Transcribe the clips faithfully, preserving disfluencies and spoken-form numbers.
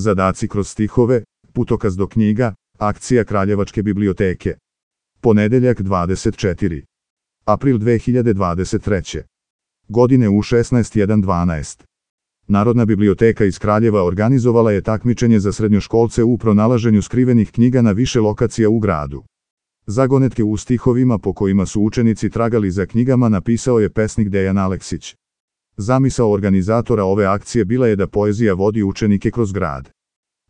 Zadaci kroz stihove, putokaz do knjiga, akcija Kraljevačke biblioteke. Ponedeljak dvadeset četvrti april dve hiljade dvadeset treće. godine u šesnaest dvanaest. Narodna biblioteka iz Kraljeva organizovala je takmičenje za srednjoškolce u pronalaženju skrivenih knjiga na više lokacija u gradu. Zagonetke u stihovima po kojima su učenici tragali za knjigama napisao je pesnik Dejan Aleksić. Zamisao organizatora ove akcije bila je da poezija vodi učenike kroz grad.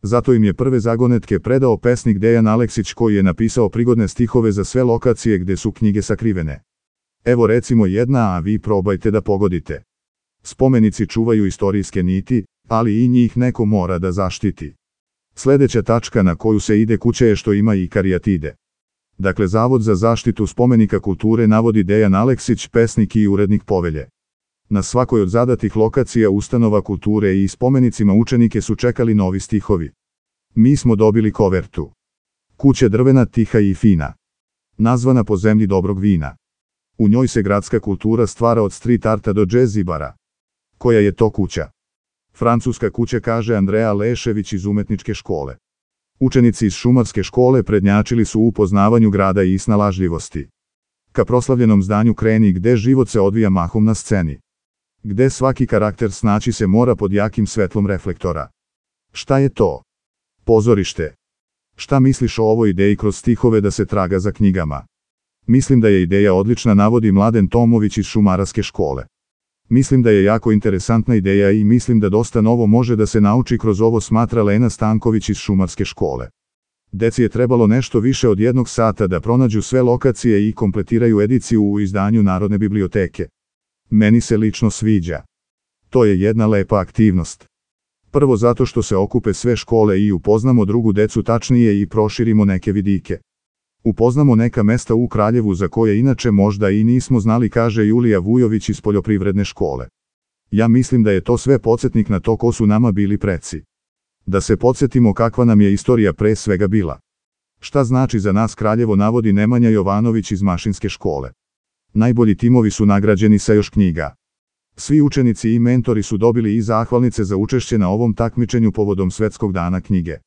Zato im je prve zagonetke predao pesnik Dejan Aleksić koji je napisao prigodne stihove za sve lokacije gde su knjige sakrivene. Evo recimo jedna, a vi probajte da pogodite. Spomenici čuvaju istorijske niti, ali i njih neko mora da zaštiti. Sledeća tačka na koju se ide kuća je što ima i karijatide. Dakle, Zavod za zaštitu spomenika kulture navodi Dejan Aleksić, pesnik i urednik povelje. Na svakoj od zadatih lokacija ustanova kulture i spomenicima učenike su čekali novi stihovi. Mi smo dobili kovertu. Kuća drvena, tiha i fina. Nazvana po zemlji dobrog vina. U njoj se gradska kultura stvara od street arta do jazz i bara. Koja je to kuća? Francuska kuća, kaže Andreja Lešević iz umetničke škole. Učenici iz šumarske škole prednjačili su u poznavanju grada i snalažljivosti. Ka proslavljenom zdanju kreni gde život se odvija mahom na sceni. Gde svaki karakter snaći se mora pod jakim svetlom reflektora. Šta je to? Pozorište. Šta misliš o ovoj ideji kroz stihove da se traga za knjigama? Mislim da je ideja odlična, navodi Mladen Tomović iz šumarske škole. Mislim da je jako interesantna ideja i mislim da dosta novo može da se nauči kroz ovo, smatra Lena Stanković iz šumarske škole. Deci je trebalo nešto više od jednog sata da pronađu sve lokacije i kompletiraju ediciju u izdanju Narodne biblioteke. Meni se lično sviđa. To je jedna lepa aktivnost. Prvo zato što se okupe sve škole i upoznamo drugu decu tačnije i proširimo neke vidike. Upoznamo neka mesta u Kraljevu za koje inače možda i nismo znali, kaže Julija Vujović iz poljoprivredne škole. Ja mislim da je to sve podsjetnik na to ko su nama bili preci. Da se podsjetimo kakva nam je istorija pre svega bila. Šta znači za nas Kraljevo, navodi Nemanja Jovanović iz mašinske škole. Najbolji timovi su nagrađeni sa još knjiga. Svi učenici i mentori su dobili i zahvalnice za učešće na ovom takmičenju povodom Svetskog dana knjige.